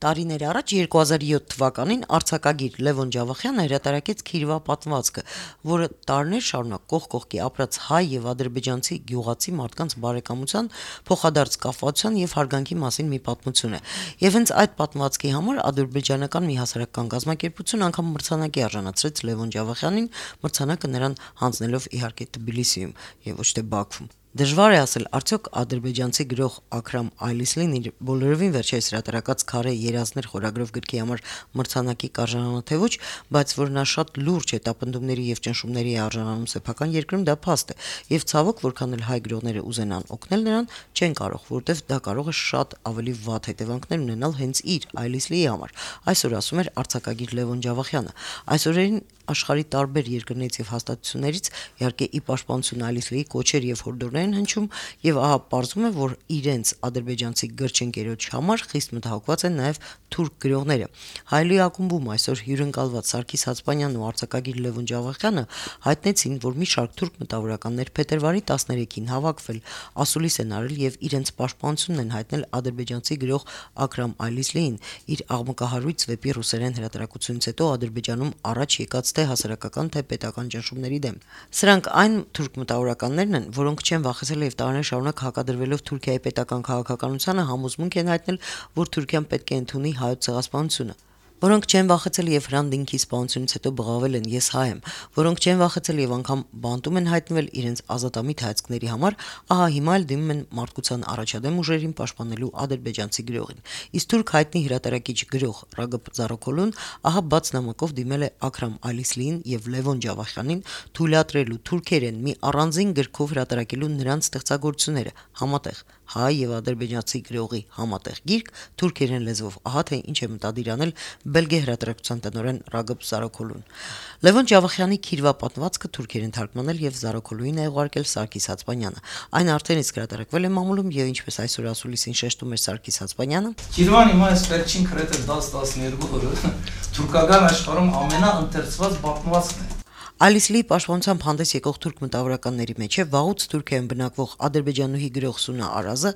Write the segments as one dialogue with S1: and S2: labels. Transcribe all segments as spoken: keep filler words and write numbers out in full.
S1: Տարիներ առաջ երկու հազար յոթ թվականին արձակագիր Լևոն Ջավախյանը հրատարակեց Քիրվա պատմվածքը, որը տարիներ շարունակ կողք կողքի ապրած հայ եւ ադրբեջանցի գյուղացի մարդկանց բարեկամության, փոխադարձ կապվածության եւ հարգանքի մասին մի պատմություն է։ Եվ հենց այդ պատմվածքի համար ադրբեջանական մի հասարակական կազմակերպություն անգամ մրցանակի արժանացրեց Լևոն Ջավախյանին, մրցանակը նրան հանձնելով իհարկե Թբիլիսիում եւ ոչ թե Բաքվում։ Դժվար է ասել, արդյոք ադրբեջանցի գրող Աքրամ Այլիսլին իր բոլորովին վերջերս հրատարակած Քարե երազներ խորագրով գրքի համար մրցանակի կարժանանա թե ոչ, բայց որ նա շատ լուրջ հետապնդումների եւ ճնշումների է արժանանում սեփական երկրում, դա փաստ է, եւ ցավոք, որքան էլ հայ գրողները ուզենան օգնել նրան, չեն կարող, որտեվ դա կարող է շատ ավելի վատ հետևանքներ ունենալ հենց իր Այլիսլիի համար։ Այսօր ասում էր արձակագիր Լևոն Ջավախյանը։ Այսօրերին աշխարհի տարբեր երկրներից եւ հաստատություններից իհարկե ի պաշտպանություն Այլիսլիի կոչեր եւ հորդորներ են հնչում, եւ ահա պարզվում է, որ իրենց ադրբեջանցի գրչընկերոջ համար խիստ մտահոգված են նաեւ թուրք գրողները։ Հայլի ակումբում այսօր հյուրընկալված Սարգիս Հացպանյանն ու արձակագիր Լևոն Ջավախյանը հայտնեցին, որ մի շարք թուրք մտավորականներ փետրվարի տասներեքին հավաքվել, ասուլիս են արել եւ իրենց պաշտպանությունն են հայտնել ադրբեջանցի գրող Աքրամ Այլիսլիին իր աղմկահարույց վեպի ռուսերեն հրատարակությունից հետո Ադրբեջանում առաջ եկած թե հասարակական թե պետական ճնշումների դեմ։ Սրանք այն թուրք մտավորականներն են, որոնք չեն վախեցել եւ տարիներ շարունակ հակադրվելով Թուրքիայի պետական քաղաքականությանը համոզմունք են հայտնել, որ Թուրքիան պետք է ընդունի հայոց ցեղասպանությունը, որոնք չեն վախեցել եւ Հրանտինքի սպանությունից հետո բղավել են ես հայ եմ, որոնք չեն վախեցել եւ անգամ բանտում են հայտնվել իրենց ազատամիտ հայացքների համար, ահա հիմա էլ դիմում են մարդկության առաջադեմ ուժերին պաշտպանելու ադրբեջանցի գրողին։ Իսկ թուրք հայտնի հրատարակիչ գրող Ռագոբ Զարոքոլուն ահա բաց նամակով դիմել է Աքրամ Այլիսլիին եւ Լևոն Ջավախյանին թույլատրելու թուրքերեն մի առանձին գրքով հրատարակելու նրանց ստեղծագործությունները համատեղ հայ եւ ադրբեջանցի գրողի համատեղ գիրք թուրքերեն լեզվով, ահա թե ինչ է մտադիր անել Բելգիա հրատարակության տնօրեն Ռագոբ Զարոքոլուն։ Լևոն Ջավախյանի Քիրվա պատմվածքը թուրքերեն թարգմանել եւ Զարոքոլուին է ուղարկել Սարգիս Հացպանյանը։ Այն արդեն իսկ հրատարակվել է մամուլում եւ ինչպես այսօր ասուլիսին շեշտում էր Սարգիս Հացպանյանը,
S2: Քիրվան հիմա այս վերջին քրեթե դաս տասներկու օրը թուրքական աշխարհում ամենաընթերցված պատմվածքն է։
S1: Այլիսլիի պաշտպանությամբ հանդես եկող թուրք մտավորականների մեջ է վաղուց Թուրքիայում բնակվող ադրբեջանուհի գրող Սունա Արազը,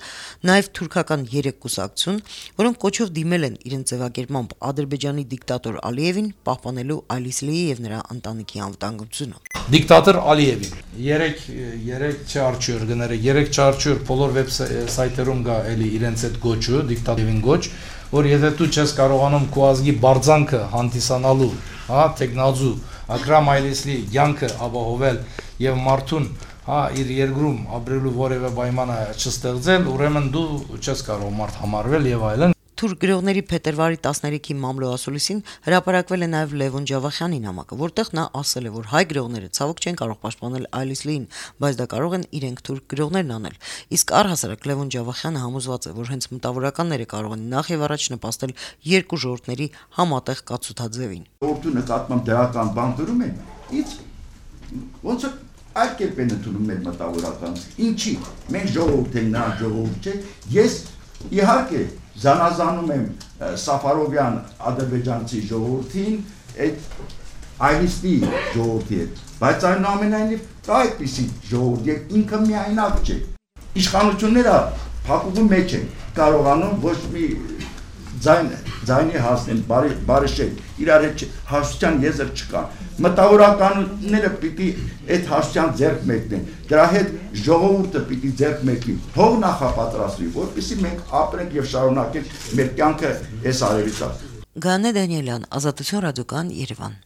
S1: նաև թուրքական երեք կուսակցություն, որոնք կոչով դիմել են իրենց ձևակերպմամբ Ադրբեջանի դիկտատոր Ալիևին պահպանելու Այլիսլիի եւ նրա ընտանիքի անվտանգությունը։
S2: Դիկտատոր Ալիևին երեք երեք չարչյուր գները երեք չարչյուր բոլոր վեբսայթերում կա էլի իրենց այդ գոչը դիկտատորին գոչ, որ եթե դու չես կարողանում քո ազգի բարձանքը հանդիսանալու, հա, տեխնազու Աքրամ Այլիսլի յանքը ապահովել եւ մարդուն հա իր երկրում ապրելու որևէ պայման չստեղծել, ուրեմն դու չես կարող մարդ համարվել եւ այլն։
S1: Թուրք գրողների փետրվարի տասներեքի մամլո ասուլիսին հրապարակվել է նաև Լևոն Ջավախյանի նամակը, որտեղ նա ասել է, որ հայ գրողները ցավոք չեն կարող պաշտպանել Այլիսլիին, բայց դա կարող են իրենք թուրք գրողներն անել։ Իսկ առհասարակ Լևոն Ջավախյանը համոզված է, որ հենց մտավորականները կարող են նախ եւ առաջ նպաստել երկու ժողովուրդների համատեղ կացութաձևին։
S3: Ժողովրդու նկատմամբ դրական բան դրում են, ինչ ոնց է այդ կերպ են ընդունում մեր մտավորականները։ Ինչի՞ մենք ժողովուրդ ենք, նա ժողովուրդ չէ։ Ես իհարկե զանազանում եմ Սաֆարովյան ադրբեջանցի ժողովրդին այդ Այլիսլի ժողովրդի հետ, բայց այնուամենայնիվ կա այդպիսի ժողովուրդ եւ ինքը միայնակ չէ։ Իշխանությունները փակուղու մեջ են կարողանում ոչ մի ձայն ձայնի հասնեն, բարի բարիշել, իրար հետ հաշտության եզր չկա։ Մտավորականները պիտի այդ հաշտության ձեռք մեկնեն, դրա հետ ժողովուրդը պիտի ձեռք մեկնի, թող նախապատրաստվի, որպեսզի մենք ապրենք եւ շարունակենք մեր կյանքը այս արևի տակ։
S1: Գանե Դանիելյան, Ազատություն ռադիոկան, Երևան։